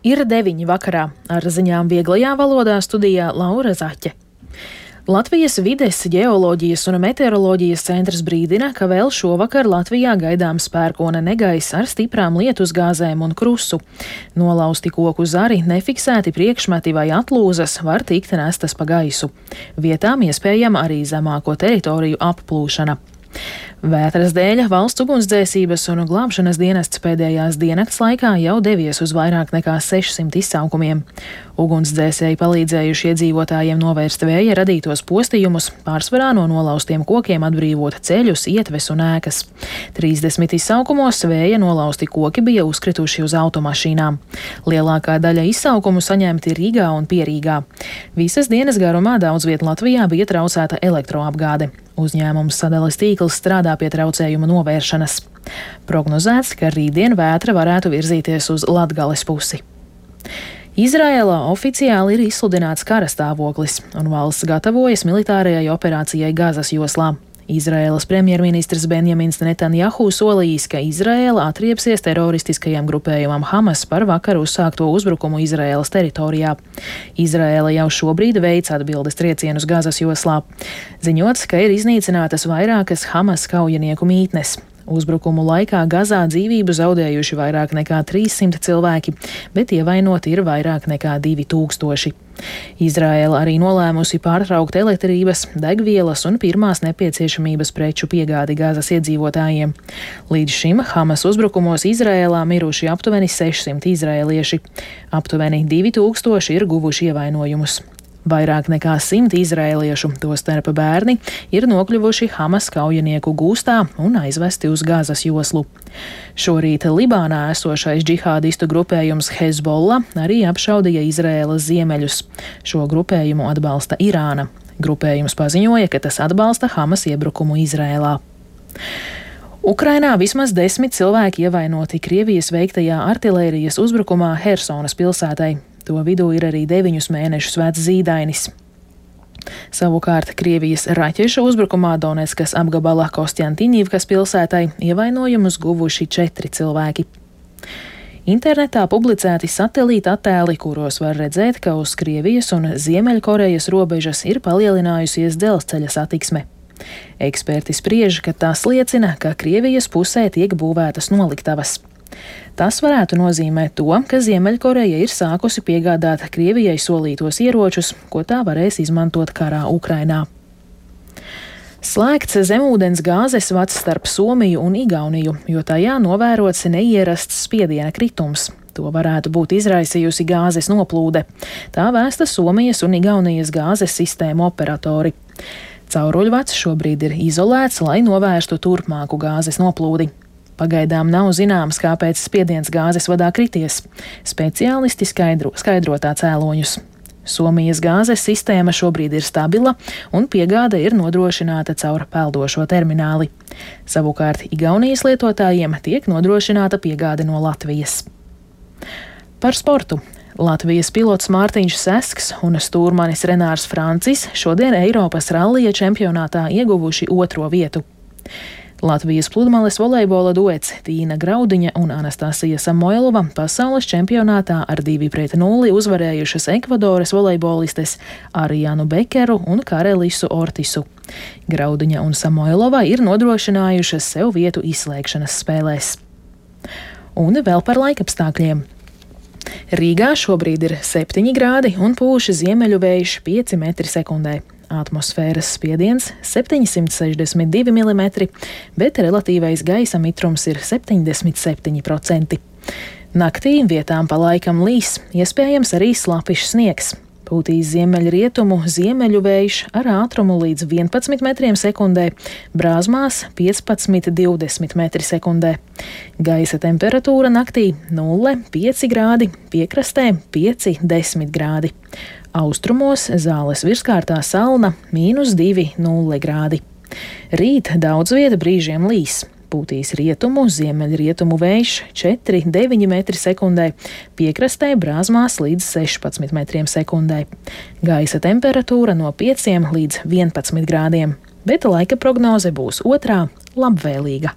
Ir 9 vakarā. Ar ziņām vieglajā valodā studijā Laura Zaķe. Latvijas vides, ģeoloģijas un meteoroloģijas centrs brīdina, ka vēl šovakar Latvijā gaidāms pērkona negaiss ar stiprām lietusgāzēm un krusu. Nolausti koku zari, nefiksēti priekšmeti vai atlūzas var tikt nestas pa gaisu. Vietām iespējama arī zemāko teritoriju applūšana. Vētras dēļ valsts ugunsdzēsības un glābšanas dienests pēdējās diennakts laikā jau devies uz vairāk nekā 600 izsaukumiem. Ugunsdzēsēji palīdzējuši iedzīvotājiem novērst vēja radītos postījumus, pārsvarā no nolaustiem kokiem atbrīvot ceļus, ietves un ēkas. 30 izsaukumos vēja nolausti koki bija uzkrituši uz automašīnām. Lielākā daļa izsaukumu saņemti Rīgā un Pierīgā. Visas dienas garumā daudz viet Latvijā bija traucēta elektroapgāde. Uzņēmums Sadales tīkls strādā pie traucējuma novēršanas. Prognozēts, ka rītdien vētra varētu virzīties uz Latgales pusi. Izraēlā oficiāli ir izsludināts kara stāvoklis, un valsts gatavojas militārajai operācijai Gazas joslā. Izraēlas premjerministrs Benjamins Netanjahu solījis, ka Izraēla atriepsies teroristiskajam grupējumam Hamas par vakar uzsākto uzbrukumu Izraēlas teritorijā. Izraēla jau šobrīd veic atbildes triecienus Gazas joslā. Ziņots, ka ir iznīcinātas vairākas Hamas kaujinieku mītnes. Uzbrukumu laikā Gazā dzīvību zaudējuši vairāk nekā 300 cilvēki, bet ievainoti ir vairāk nekā 2000. Izraēla arī nolēmusi pārtraukt elektrības, degvielas un pirmās nepieciešamības preču piegādi Gazas iedzīvotājiem. Līdz šim Hamas uzbrukumos Izraēlā miruši aptuveni 600 izraēlieši. Aptuveni 2000 ir guvuši ievainojumus. Vairāk nekā 100 izraēliešu, tostarp bērni, ir nokļuvuši Hamas kaujinieku gūstā un aizvesti uz Gazas joslu. Šorīt Libānā esošais džihādistu grupējums Hezbollah arī apšaudīja Izraēlas ziemeļus. Šo grupējumu atbalsta Irāna. Grupējums paziņoja, ka tas atbalsta Hamas iebrukumu Izraēlā. Ukrainā vismaz 10 cilvēki ievainoti Krievijas veiktajā artilērijas uzbrukumā Hersonas pilsētai. To vidū ir arī 9 mēnešus vecs zīdainis. Savukārt Krievijas raķešu uzbrukumā Donetskas apgabala Kostjantinīvkas pilsētai ievainojumus guvuši 4 cilvēki. Internetā publicēti satelīta attēli, kuros var redzēt, ka uz Krievijas un Ziemeļkorejas robežas ir palielinājusies dzelzceļa satiksme. Eksperti spriež, ka tas liecina, ka Krievijas pusē tiek būvētas noliktavas. Tas varētu nozīmēt to, ka Ziemeļkoreja ir sākusi piegādāt Krievijai solītos ieročus, ko tā varēs izmantot karā Ukrainā. Slēgts zemūdens gāzes vads starp Somiju un Igauniju, jo tajā novērots neierasts spiediena kritums. To varētu būt izraisījusi gāzes noplūde. Tā vēsta Somijas un Igaunijas gāzes sistēmu operatori. Cauruļvads šobrīd ir izolēts, lai novērstu turpmāku gāzes noplūdi. Pagaidām nav zināms, kāpēc spiediens gāzes vadā krities. Speciālisti skaidro tā cēloņus. Somijas gāzes sistēma šobrīd ir stabila un piegāde ir nodrošināta caur peldošo termināli. Savukārt Igaunijas lietotājiem tiek nodrošināta piegāde no Latvijas. Par sportu. Latvijas pilots Mārtiņš Sesks un stūrmanis Renārs Francis šodien Eiropas rallija čempionātā ieguvuši 2. vietu. Latvijas pludmales volejbola duets Tīna Graudiņa un Anastasija Samoilova pasaules čempionātā ar 2-0 uzvarējušas Ekvadoras volejbolistes Arijanu Bekeru un Karelisu Ortisu. Graudiņa un Samoilova ir nodrošinājušas sev vietu izslēgšanas spēlēs. Un vēl par laikapstākļiem. Rīgā šobrīd ir 7 grādi un pūš ziemeļu vējš 5 metri sekundē. Atmosfēras spiediens 762 mm, bet relatīvais gaisa mitrums ir 77%. Naktī vietām pa laikam līs, iespējams arī slapišs sniegs. Pūtīs ziemeļrietumu ziemeļu vējš ar ātrumu līdz 11 metriem sekundē, Brāzmās 15–20 metri sekundē. Gaisa temperatūra naktī 0–5 grādi, piekrastē 5–10 grādi. Austrumos Zāles virskārtā Salna -2–0 grādi. Rīt daudz vieta brīžiem līs. Pūtīs rietumu, ziemeļrietumu vējš 4–9 metri sekundē, piekrastē Brāzmās līdz 16 metriem sekundē. Gaisa temperatūra no 5 līdz 11 grādiem, bet laika prognoze būs otrā labvēlīga.